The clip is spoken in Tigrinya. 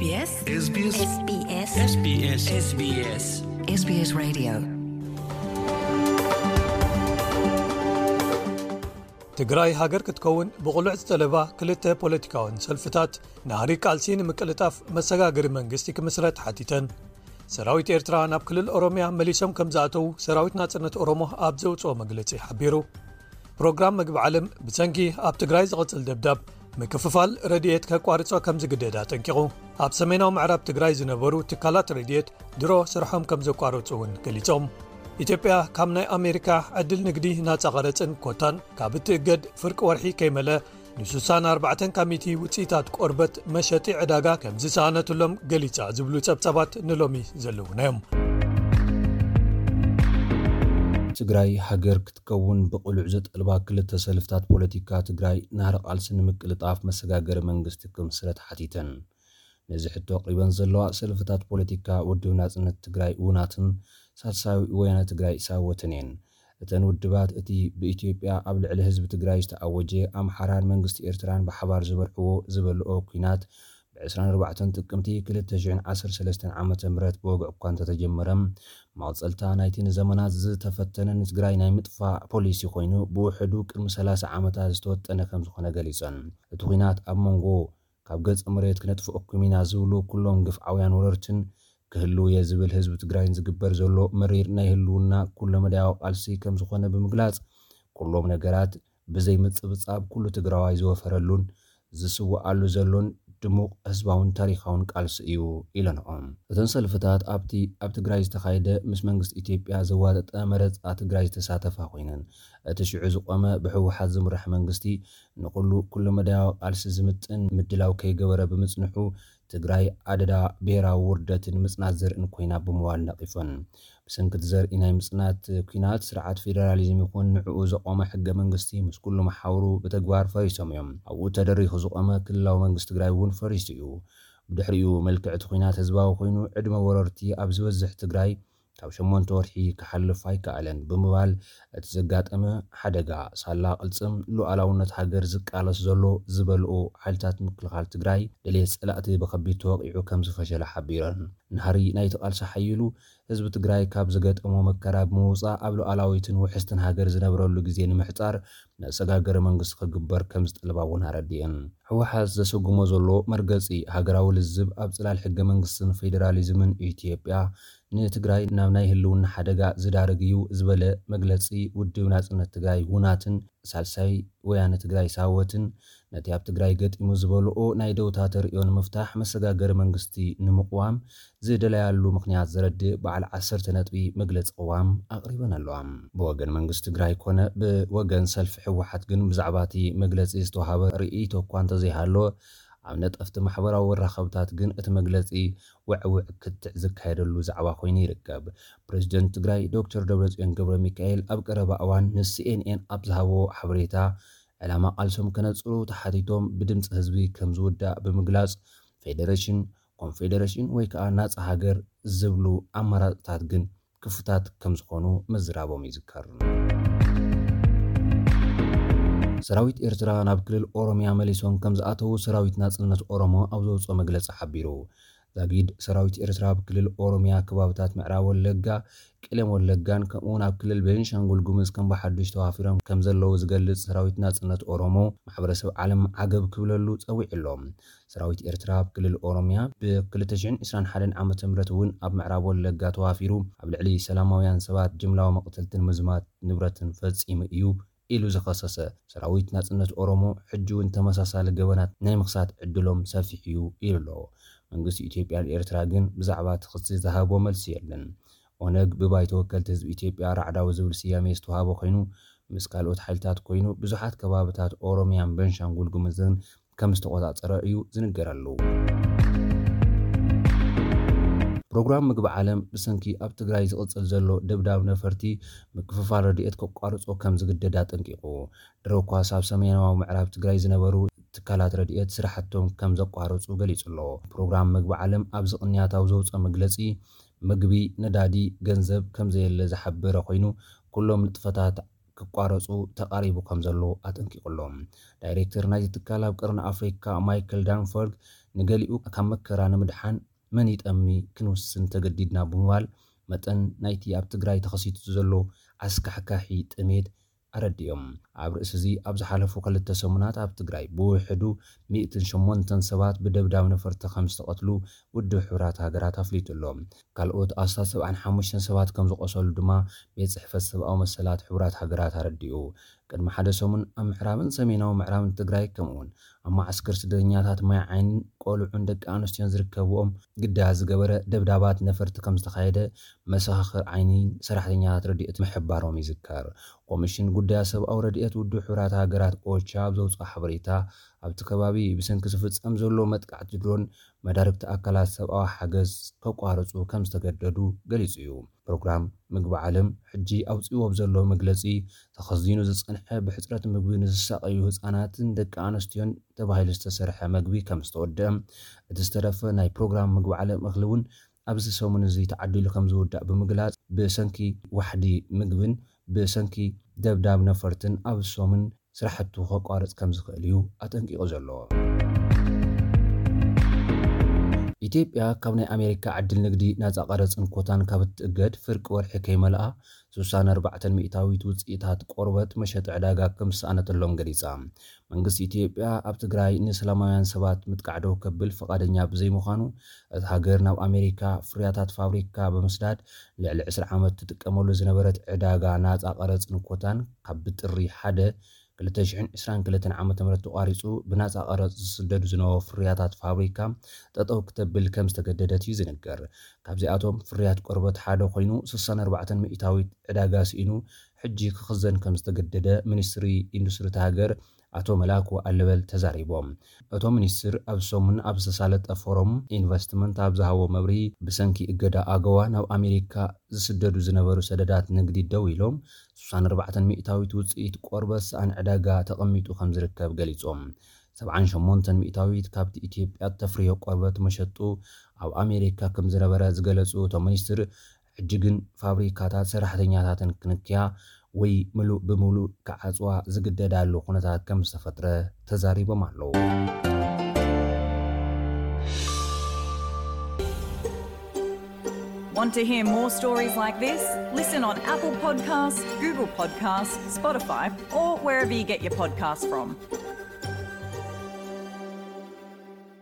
SBS SBS SBS SBS SBS SBS Radio. ትግራይ ሃገር ክትከውን ብቕሉዕ ዝጠለባ ክልተ ፖለቲካውን ሰልፍታት፣ ናህሪ ቃልሲ ንምቅልጣፍ መሰጋገሪ መንግስቲ ክምስረት ሓቲተን። ሰራዊት ኤርትራ ናብ ክልል ኦሮምያ መሊሶም ከም ዝኣተዉ ሰራዊት ናጽነት ኦሮሞ ኣብ ዘውጽኦ መግለጺ ሓቢሩ። ፕሮግራም መግቢ ዓለም ብሰንኪ ኣብ ትግራይ ዝቕጽል ደብዳብ ምክፍፋል ረድኤት ከቋርጾ ከም ዝግደድ ኣጠንቂቑ። ኣብ ሰሜናዊ ምዕራብ ትግራይ ዝነበሩ ትካላት ረድኤት ድሮ ስርሖም ከም ዘቋረጹ እውን ገሊጾም። ኢትዮጵያ ካብ ናይ ኣሜሪካ ዕድል ንግዲ ናጻ ቀረጽን ኮታን ካብ እትእገድ ፍርቂ ወርሒ ከይመለ ንስሳን ኣርባዕተን ካብ ሚእቲ ውፅኢታት ቆርበት መሸጢ ዕዳጋ ከም ዝሰኣነትሎም ገሊጻ ዝብሉ ጸብጻባት ንሎሚ ዘለዉና እዮም። ትግራይ ሃገር ክትከውን ብቕሉዕ ዘጠልባ ክልተ ሰልፍታት ፖለቲካ ትግራይ ናህሪ ቃልሲ ንምቅልጣፍ መሰጋገሪ መንግስቲ ክምስረት ሓቲተን። ነዚ ሕቶ ኣቕሪበን ዘለዋ ሰልፍታት ፖለቲካ ውድብ ናጽነት ትግራይ ውናትን ሳልሳዊ ወያነ ትግራይ ሳወትን እየን። እተን ውድባት እቲ ብኢትዮጵያ ኣብ ልዕሊ ህዝቢ ትግራይ ዝተኣወጀ ኣምሓራን መንግስቲ ኤርትራን ብሓባር ዝበልዕዎ ዝበልኦ ኲናት ብ ዕስራን ኣርባዕተን ጥቅምቲ ክልተ ሽሕን ዓሰርተ ሰለስተን ዓመተ ምህረት ብወግዒ እኳ እንተተጀመረ፣ መቐጸልታ ናይቲ ንዘመናት ዝተፈተነ ንትግራይ ናይ ምጥፋእ ፖሊሲ ኮይኑ ብውሕዱ ቅድሚ ሰላሳ ዓመታት ዝተወጠነ ከም ዝኾነ ገሊጸን። እቲ ኲናት ኣብ መንጎ ካብ ገጸ መሬት ክነጥፍኣኩም ኢና ዝብሉ ኩሎም ግፍዓውያን ወረርትን ክህልው እየ ዝብል ህዝቢ ትግራይን ዝግበር ዘሎ መሪር ናይ ህልውና ኩለመዳያዊ ቃልሲ ከም ዝኾነ ብምግላጽ፣ ኩሎም ነገራት ብዘይ ምጽብጻብ ኩሉ ትግራዋይ ዝወፈረሉን ዝስውኣሉ ዘሎን ድሙቕ ህዝባውን ታሪኻውን ቃልሲ እዩ ኢለንኦም። እተን ሰልፍታት ኣብቲ ኣብ ትግራይ ዝተኻየደ ምስ መንግስቲ ኢትዮጵያ ዘዋጠጠ መረጻ ትግራይ ዝተሳተፋ ኮይነን፣ እቲ ሽዑ ዝቆመ ብህወሓት ዝምራሕ መንግስቲ ንኹሉ ኩለመዳያዊ ቃልሲ ዝምጥን ምድላው ከይገበረ ብምጽንሑ፣ ትግራይ ኣደዳ ብሄራዊ ውርደትን ምጽናት ዘርእን ኮይና ብምዋል ነቒፈን። ብሰንኪ እቲ ዘርኢ ናይ ምጽናት ኲናት፣ ስርዓት ፌደራሊዝም ይኹን ንዕኡ ዘቖመ ሕገ መንግስቲ ምስ ኩሉ መሓውሩ ብተግባር ፈሪሶም እዮም። ኣብኡ ተደሪኹ ዝቖመ ክልላዊ መንግስቲ ትግራይ እውን ፈሪሱ እዩ። ብድሕሪኡ መልክዕ እቲ ኲናት ህዝባዊ ኮይኑ፣ ዕድመ ወረርቲ ኣብ ዝበዝሕ ትግራይ ካብ ሸሞንተ ወርሒ ክሓልፍ ኣይከኣለን ብምባል፣ እቲ ዘጋጠመ ሓደጋ ሳላ ቅልጽም ሉዓላውነት ሃገር ዝቃለስ ዘሎ ዝበልኡ ሓይልታት ምክልኻል ትግራይ፣ ድሌት ጸላእቲ ብኸቢድ ተወቒዑ ከም ዝፈሸለ ሓቢረን። ናህሪ ናይቲ ቃልሲ ሓይሉ ህዝቢ ትግራይ ካብ ዝገጠሞ መከራ ብምውጻእ ኣብ ሉዓላዊትን ውሕስትን ሃገር ዝነብረሉ ግዜ ንምሕጻር መሰጋገሪ መንግስቲ ክግበር ከም ዝጠልባ እውን ኣረዲአን። ህወሓት ዘሰጉሞ ዘሎ መርገጺ ሃገራዊ ልዝብ ኣብ ጽላል ሕገ መንግስትን ፌደራሊዝምን ኢትዮጵያ ንትግራይ ናብ ናይ ህልውና ሓደጋ ዝዳርግ እዩ ዝበለ መግለጺ ውድብ ናጽነት ትግራይ ውናትን ሳልሳይ ወያነ ትግራይ ሳወትን ነቲ ኣብ ትግራይ ገጢሙ ዝበልኦ ናይ ደውታ ተርእዮ ንምፍታሕ መሰጋገሪ መንግስቲ ንምቕዋም ዝደለያሉ ምኽንያት ዘረድእ በዓል ዓሰርተ ነጥቢ መግለጺ ቅዋም ኣቕሪበን ኣለዋ። ብወገን መንግስቲ ትግራይ ኮነ ብወገን ሰልፊ ህወሓት ግን ብዛዕባ እቲ መግለጺ ዝተዋሃበ ርእይቶ እኳ እንተዘይሃለወ፣ ኣብ ነጠፍቲ ማሕበራዊ መራኸብታት ግን እቲ መግለጺ ውዕውዕ ክትዕ ዝካየደሉ ዛዕባ ኮይኑ ይርከብ። ፕሬዚደንት ትግራይ ዶክተር ደብረጽዮን ገብረ ሚካኤል ኣብ ቀረባ እዋን ን ሲ ኤን ኤን ኣብ ዝሃቦ ሓበሬታ፣ ዕላማ ቃልሶም ከነጽሩ ተሓቲቶም ብድምፂ ህዝቢ ከም ዝውዳእ ብምግላጽ፣ ፌዴሬሽን፣ ኮንፌዴሬሽን ወይ ከዓ ናፃ ሃገር ዝብሉ ኣማራፅታት ግን ክፉታት ከም ዝኾኑ ምዝራቦም ይዝከር። ሰራዊት ኤርትራ ናብ ክልል ኦሮምያ መሊሶም ከም ዝኣተዉ ሰራዊት ናጽነት ኦሮሞ ኣብ ዘውፅኦ መግለፂ ሓቢሩ። ዛጊድ ሰራዊት ኤርትራ ኣብ ክልል ኦሮምያ ከባብታት ምዕራብ ወለጋ፣ ቄለም ወለጋን ከምኡውን ኣብ ክልል ቤንሻንጉል ጉሙዝ ከም ብሓዱሽ ተዋፊሮም ከም ዘለዉ ዝገልጽ ሰራዊት ናጽነት ኦሮሞ፣ ማሕበረሰብ ዓለም ዓገብ ክብለሉ ጸዊዑ ኣሎ። ሰራዊት ኤርትራ ኣብ ክልል ኦሮምያ ብ ክልተ ሽሕን ዕስራን ሓደን ዓመተ ምህረት እውን ኣብ ምዕራብ ወለጋ ተዋፊሩ ኣብ ልዕሊ ሰላማውያን ሰባት ጅምላዊ መቕተልትን ምዝማት ንብረትን ፈጺሙ እዩ ኢሉ ዝኸሰሰ ሰራዊት ናጽነት ኦሮሞ፣ ሕጂ እውን ተመሳሳሊ ገበናት ናይ ምኽሳት ዕድሎም ሰፊሕ እዩ ኢሉ ኣሎ። መንግስቲ ኢትዮጵያን ኤርትራ ግን ብዛዕባ እቲ ክሲ ዝሃቦ መልሲ የለን። ኦነግ ብባይቶ ወከልቲ ህዝቢ ኢትዮጵያ ራዕዳዊ ዝብል ስያሜ ዝተዋሃቦ ኮይኑ፣ ምስ ካልኦት ሓይልታት ኮይኑ ብዙሓት ከባብታት ኦሮምያን ቤንሻንጉል ጉሙዝን ከም ዝተቖጻጸረ እዩ ዝንገረሉ። ፕሮግራም ምግቢ ዓለም ብሰንኪ ኣብ ትግራይ ዝቕጽል ዘሎ ደብዳብ ነፈርቲ ምክፍፋል ረድኤት ከቋርጾ ከም ዝግደድ ኣጠንቂቑ። ድሮ እኳስ ኣብ ሰሜናዊ ምዕራብ ትግራይ ዝነበሩ ትካላት ረድኤት ስራሕቶም ከም ዘቋረጹ ገሊጹ ኣሎ። ፕሮግራም ምግቢ ዓለም ኣብዚ ቅንያት ኣብ ዘውፅኦ መግለጺ፣ ምግቢ፣ ነዳዲ፣ ገንዘብ ከም ዘየለ ዝሓበረ ኮይኑ፣ ኩሎም ንጥፈታት ክቋረጹ ተቓሪቡ ከም ዘሎ ኣጠንቂቑ ኣሎ። ዳይሬክተር ናይቲ ትካል ኣብ ቀርኒ ኣፍሪካ ማይክል ዳንፈርግ፣ ንገሊኡ ካብ መከራ ንምድሓን መን ይጠሚ ክንውስን ተገዲድና ብምባል መጠን ናይቲ ኣብ ትግራይ ተኸሲቱ ዘሎ ኣስካሕካሒ ጥሜት ኣረዲኦም። ኣብ ርእሲ እዚ ኣብ ዝሓለፉ ክልተ ሰሙናት ኣብ ትግራይ ብውሕዱ ሚእትን ሸሞንተን ሰባት ብደብዳብ ነፈርቲ ከም ዝተቐትሉ ውድብ ሕቡራት ሃገራት ኣፍሊጡ ኣሎ። ካልኦት ኣስታት ሰብዓን ሓሙሽተን ሰባት ከም ዝቆሰሉ ድማ ቤት ጽሕፈት ሰብኣዊ መሰላት ሕቡራት ሃገራት ኣረዲኡ። ቅድሚ ሓደ ሰሙን ኣብ ምዕራብን ሰሜናዊ ምዕራብን ትግራይ ከምኡውን ኣብ መዓስከር ስደተኛታት ማይ ዓይንን ቆልዑን ደቂ ኣንስትዮን ዝርከብዎም ግዳ ዝገበረ ደብዳባት ነፈርቲ ከም ዝተኻየደ መሰኻኽር ዓይኒን ሰራሕተኛታት ረድኤት ምሕባሮም ይዝከር። ኮሚሽን ጉዳያት ሰብኣዊ ረድኤት ውድብ ሕቡራት ሃገራት ኦቻ ኣብ ዘውፅኦ ሓበሬታ ኣብቲ ከባቢ ብሰንኪ ዝፍጸም ዘሎ መጥቃዕቲ ድሮን መዳርግቲ ኣካላት ሰብኣዊ ሓገዝ ከቋርፁ ከም ዝተገደዱ ገሊጹ እዩ። ፕሮግራም ምግቢ ዓለም ሕጂ ኣውፅእዎ ዘሎ መግለፂ ተኸዚኑ ዝጸንሐ ብሕፅረት ምግቢ ንዝሳቐዩ ህፃናትን ደቂ ኣንስትዮን ተባሂሉ ዝተሰርሐ መግቢ ከም ዝተወደአ እቲ ዝተረፈ ናይ ፕሮግራም ምግቢ ዓለም እኽሊ እውን ኣብዚ ሰሙን እዚ ተዓዲሉ ከም ዝውዳእ ብምግላጽ ብሰንኪ ዋሕዲ ምግብን ብሰንኪ ደብዳብ ነፈርትን ኣብ ሰሙን ስራሕቱ ከቋርጽ ከም ዝኽእል እዩ ኣጠንቂቑ ዘሎ። ኢትዮጵያ ካብ ናይ ኣሜሪካ ዕድል ንግዲ ናጻ ቀረጽን ኮታን ካብ እትእገድ ፍርቂ ወርሒ ከይመልኣ ስሳን ኣርባዕተን ሚእታዊት ውፅኢታት ቆርበት መሸጢ ዕዳጋ ከም ዝሰኣነተሎም ገሊጻ። መንግስቲ ኢትዮጵያ ኣብ ትግራይ ንሰላማውያን ሰባት ምጥቃዕ ደው ከብል ፈቓደኛ ብዘይምዃኑ እታ ሃገር ናብ ኣሜሪካ ፍርያታት ፋብሪካ ብምስዳድ ልዕሊ ዕስራ ዓመት ትጥቀመሉ ዝነበረት ዕዳጋ ናፃ ቀረፅን ኮታን ካብ ብጥሪ ሓደ ክልተ ሽሕን ዕስራን ክልተን ዓመተ ምህረት ተቋሪፁ ብናፃ ቀረፅ ዝስደዱ ዝነበሩ ፍርያታት ፋብሪካ ጠጠው ክተብል ከም ዝተገደደት እዩ ዝንገር። ካብዚኣቶም ፍርያት ቆርበት ሓደ ኮይኑ ስሳን ኣርባዕተን ሚእታዊት ዕዳጋ ስኢኑ ሕጂ ክኽዘን ከም ዝተገደደ ሚኒስትሪ ኢንዱስትሪ እታ ሃገር ኣቶ መላኩ ኣለበል ተዛሪቦም። እቶም ሚኒስትር ኣብ ሰሙን ኣብ ዝተሳለጠ ፎረም ኢንቨስትመንት ኣብ ዝሃቦ መብርሂ ብሰንኪ እገዳ ኣገዋ ናብ ኣሜሪካ ዝስደዱ ዝነበሩ ሰደዳት ንግዲ ደው ኢሎም ስሳን ኣርባዕተን ሚእታዊት ውፅኢት ቆርበት ሰኣን ዕዳጋ ተቐሚጡ ከም ዝርከብ ገሊጾም። ሰብዓን ሸሞንተን ሚእታዊት ካብቲ ኢትዮጵያ ተፍርዮ ቆርበት መሸጡ ኣብ ኣሜሪካ ከም ዝነበረ ዝገለጹ እቶም ሚኒስትር ሕጂ ግን ፋብሪካታት ሰራሕተኛታትን ክንክያ ወይ ምሉእ ብምሉእ ክዓፅዋ ዝግደዳሉ ኩነታት ከም ዝተፈጥረ ተዛሪቦም ኣለዉ። Want to hear more stories like this? Listen on Apple Podcasts, Google Podcasts, Spotify, or wherever you get your podcasts from.